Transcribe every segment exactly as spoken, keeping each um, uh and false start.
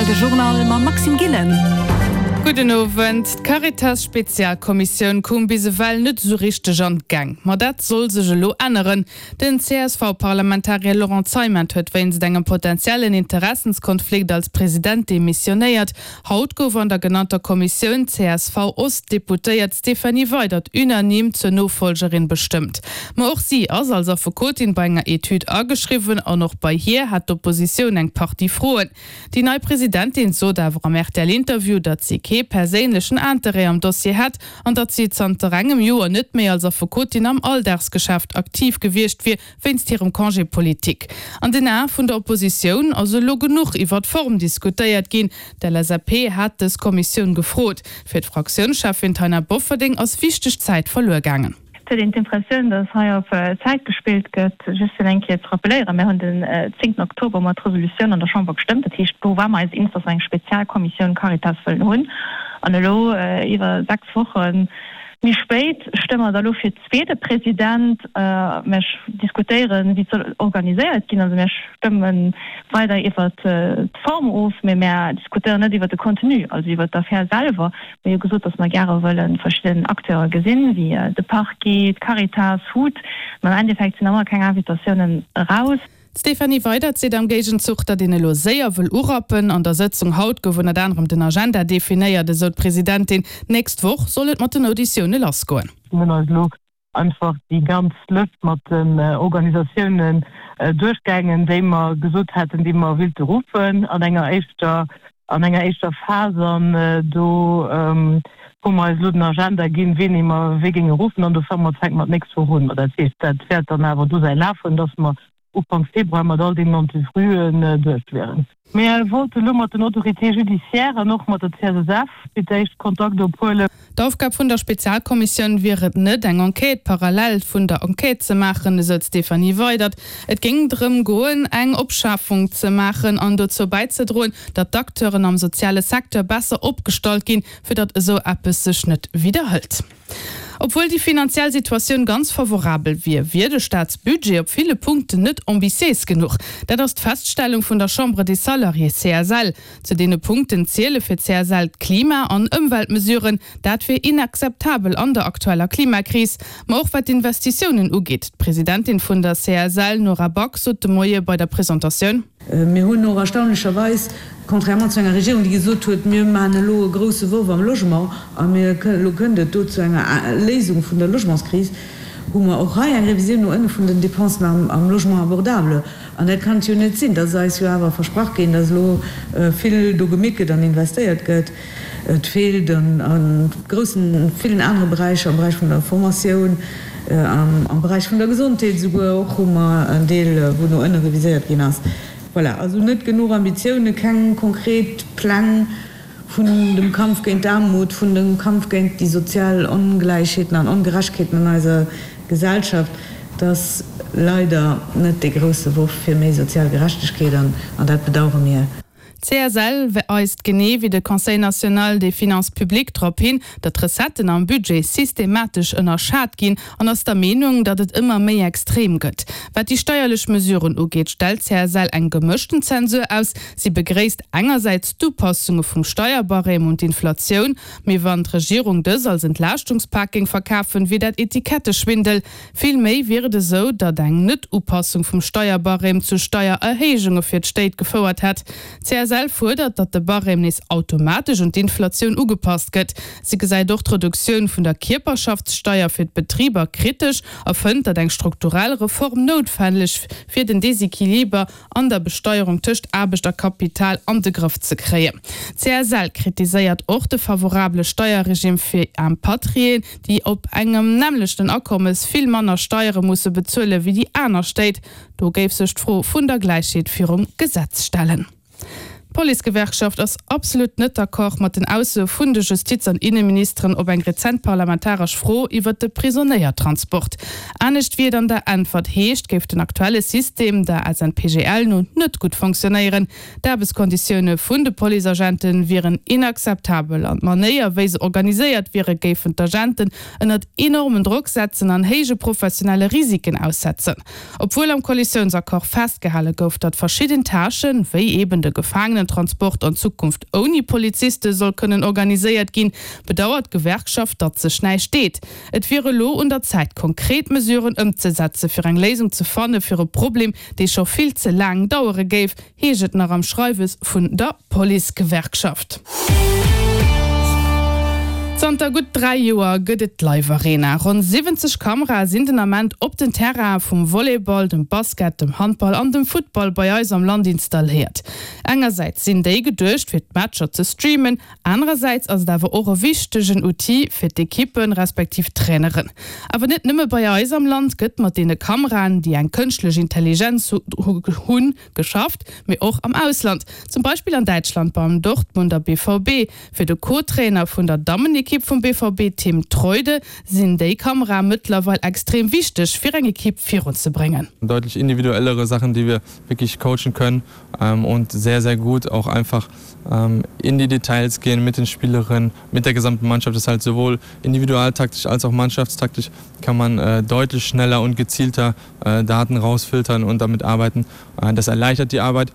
de Journal mam Maxime Gillen. Gudden Owend. D'Caritas-Spezialkommissioun koum bis ewell net esou richteg an d'Gäng. Ma dat soll sech elo änneren. Den C S V-Parlamentarier Laurent Zeimet huet wéinst engem potentiellen Interessenskonflikt als President demissionéiert. Haut gouf an der genannter Kommissioun d'C S V-Ost-Deputéiert Stéphanie Weydert unanime zur Nofollgerin bestëmmt. Ma och si ass als Affekotin bei enger Etüd ageschriwwen an och bei hir hat d'Oppositioun eng Partie Froen. Déi nei Presidentin sot awer am R T L-Interview, datt si kee perséinlechen Interêt am Dossier hätt an datt si zanter engem Joer net méi als Affekotin am Alldagsgeschäft aktiv gewiescht wier, wéinst hirem Congé politique. An den Ae vun der Oppositioun ass elo genuch iwwer d'Form diskutéiert ginn. D'L S A P hat dës Kommissioun gefrot. Fir d'Fraktiounscheffin Taina Bofferding ass wichteg Zäit verluer gaangen. Et huet een d'Impressioun, datt hei op Zäit gespillt gëtt. Just fir eng Kéier ze rappeléieren, mir hunn den zéngten Oktober mat Resolutioun an der Chamber gestëmmt. Dat heescht, do ware mer eis eens, datt mer eng Spezialkommissioun Caritas wëllen hunn. An elo iwwer sechs Woche méi spéit stëmme mer da lo fir zweete President. Mir diskutéieren, wéi et soll organiséiert ginn. Also mir stëmme weider iwwer d'Form of, mee mir diskutéieren net iwwer de Contenu, also iwwer d'Affär selwer. Mir hu gesot, datt mer gäre wëlle verschidden Acteure gesinn, wéi de Parquet, d'Caritas, HUT. Mä am Endeffekt sinn nach ëmmer keng Invitatiounen eraus. D'Stéphanie Weydert seet am Géigenzuch, datt een elo séier wëll urappen. An der Sëtzung haut gouf ënnert anerem den Agenda definéiert, esou d'Presidentin. D'nächst Woch soll et mat den Auditioune lassgoen. Mir hunn eis elo einfach déi ganz Lëscht mat den Organisatiounen duerchgaangen, déi mer gesot haten, déi mer wéilte ruffen an enger éischter an enger éischter Phas, an do hu mer eis elo den Agenda ginn, wéini mer wee géinge ruffen, an do fange mer fänke mer d'nächst Woch un. Dat heescht, dat wäert dann awer do säi Laf hunn, datt mer Ufank Februar mat all deenen Entrevuen duerch wieren. Mir wollte lo mat den Autorités judiciaires an och mat der C S S F fir d'éischt Kontakt ophuelen. D'Aufgab vun der Spezialkommissioun wier et net, eng Enquête parallel vun der Enquête ze maachen, esou d'Stéphanie Weydert. Et géing drëm goen, eng Opschaffung ze maachen an dozou bäizedroen, datt d'Acteuren am soziale Secteur besser opgestallt ginn, fir datt esou eppes sech net widderhëlt. Obwuel déi finanziell Situatioun ganz favorabel wier, wier de Staatsbudget op ville Punkten net ambitiéis genuch. Dat ass d'Feststellung vun der Chambre des Salariés C S L. Zu deene Punkten ziele fir d'C S L d'Klima- an Ëmweltmesuren, dat wier inakzeptabel an der aktueller Klimakris. Ma och wat d'Investitiounen ugeet. D'Presidentin vun der C S L Nora Back sot de Moie bei der Presentatioun: Mir hunn och erstaunlecherweis, contrairement zu enger Regierung, déi gesot huet, mir maachen elo e grousse Worf am Logement a mir elo kënnt et do zu enger Léisung vun der Logementskris, hu mer och hei eng Revisioun no ënne vun den Dépensen am, am Logement abordable. An dat kann jo net sinn, dat ass eis jo awer versprach ginn, datt elo vill do gemeet gëtt an investéiert gëtt. Et feelt an a groussen villen anere Beräicher, am Beräich vun der Formatioun, am, am Beräich vun der Gesondheet esouguer och hu mer en Deel, wou no ënne reviséiert ginn ass. Voilà, also net genuch Ambitioune, keng konkret Pläng vun dem Kampf géint d'Aarmut, vun dem Kampf géint déi sozial Ongläichheeten an Ongerechtegkeeten an eiser Gesellschaft. Dat ass leider net dee grousse Worf fir méi sozial Gerechtegkeet an an dat bedauere mir. D'C S L weist genee wéi de Conseil national des finances publiques drop hin, datt d'Recetten am Budget systematesch ënnerschat ginn, an ass der Meenung, datt et ëmmer méi extrem gëtt. Wat déi steierlech Mesuren ugeet, stellt d'C S L eng gemëschten Zensur aus. Si begréisst engersäits d'Upassunge vum Steierbarème un d'Inflatioun, mee wann d'Regierung dës als Entlaaschtungspak géing verkafen, wier dat Etiketteschwindel. Vill méi wier et esou, datt eng Net-Upassung vum Steierbarème zu Steiererhéijunge fir d'Stéit gefouert hätt. C S L fuerdert, datt de Barème nees automatesch un d'Inflatioun ugepasst gëtt. Si gesäit och d'Reduktioun vun der Kierperschaftssteier fir d'Betriber kritesch a fënnt, datt eng strukturell Reform noutwenneg fir den Desequiliber an der Besteierung tëscht Aarbecht a Kapital an de Grëff ze kréien. C S L kritiséiert och de favorabele Steierregime fir Impatriéen, déi op engem nämmlechten Akommes vill manner Steiere musse bezuele wéi déi aner Stéit. Do géif sech d'Fro vun der Gläichheet virum Gesetz stellen. D'Policegewerkschaft ass absolut net d'accord mat den Aussoe vun de Justiz an Inneministeren op eng rezent parlamentaresch Fro iwwer de Prisonéiertransport. Anescht wéi et an der Äntwert heescht, géif den aktuelle System der S N P G L no net gutt funktionéieren. D'Aarbechtskonditioune vun de Policeagente wieren inakzeptabel an d'Manéier, wéi se organiséiert wiere, géifen d'Agenten ënnert enormen Drock setzen an héije professionelle Risiken aussetzen. Obwuel am Koalitiounsaccord festgehale gouf, datt verschidden Tâchen, wéi eben de Gefaangenen Personentransport an Zukunft ouni Poliziste soll kënnen organiséiert ginn, bedauert d'Gewerkschaft, datt sech näischt deet. Et wier elo un der Zäit, konkret Mesuren ëmzesetze fir eng Léisung ze fanne fir e Problem, dee scho vill ze laang dauere géif, heescht et nach am Schreiwes vun der Policegewerkschaft. Zanter gutt dräi Joer gëtt et d'Live Arena. Ronn siwwenzeg Kamerae sinn den Ament op den Terraine vum Volleyball, dem Basket, dem Handball an dem Futtball bei eis am Land installéiert. Engersäits sinn déi geduecht fir d'Matcher ze streamen, anerersäits ass et awer och e wichtegen Outil fir d'Ekippen, respektiv d'Traineren. Awer net nëmme bei eis am Land gëtt mat deene Kameraen, déi eng kënschtlech Intelligenz hunn, geschafft, mee och am Ausland, zum Beispill an Däitschland beim Dortmunder B V B. Fir de Co-Trainer vun der Dammenekipp vum B V B, Tim Treude, sinn déi Kamerae mëttlerweil extrem wichteg, fir eng Ekipp virunzebréngen. Deutlich individuellere Sachen, die wir wirklich coachen können, und sehr, sehr gut auch einfach in die Details gehen mit den Spielerinnen, mit der gesamten Mannschaft. Das ist halt sowohl individualtaktisch als auch mannschaftstaktisch kann man deutlich schneller und gezielter Daten rausfiltern und damit arbeiten. Das erleichtert die Arbeit.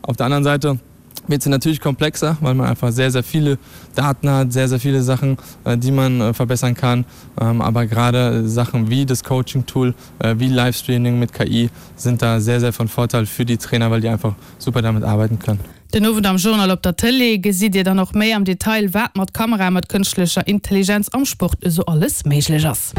Auf der anderen Seite wird sie natürlich komplexer, weil man einfach sehr, sehr viele Daten hat, sehr, sehr viele Sachen, die man verbessern kann. Aber gerade Sachen wie das Coaching-Tool, wie Livestreaming mit K I sind da sehr, sehr von Vorteil für die Trainer, weil die einfach super damit arbeiten können. Den Owend am Journal op der Tëlee gesitt Dir dann och méi am Detail, wat mat Kamerae mat kënschtlecher Intelligenz am Sport esou alles méiglech ass.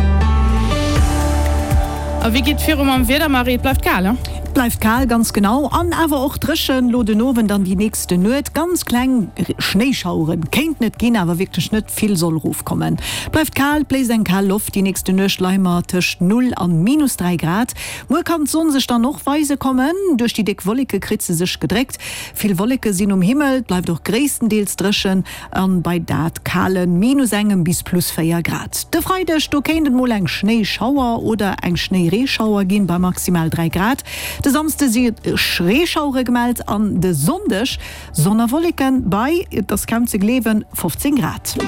A wéi geet viru mam Wieder, Marie? Et bleift kal, he? Et bleift kal, ganz genau. An awer och dréchen, lo den Owend an déi nächste Nuet. Ganz kleng Schnéischaueren kéinten et ginn, awer wierklech net vill soll erofkommen. Bleift kal, bléist eng kal Loft. Déi nächste Nuecht leie mer tëscht null an minus dräi Grad. Muer kann d'Sonn sech dann och weise kommen. Duerch déi déck Wolleke kritt se sech gedréckt. Vill Wolleke sinn um Himmel, et bleift och gréisstendeels dréchen an bei dat kale minus engem bis plus véier Grad. De Freideg, do kéint et mol eng Schnéischauer oder eng Schnéireeschauer ginn bei maximal dräi Grad. De Samsde si Reeschauere gemellt an de Sonndeg Sonn a Wolleken bei, et ass kaum ze gleewen, fofzéng Grad.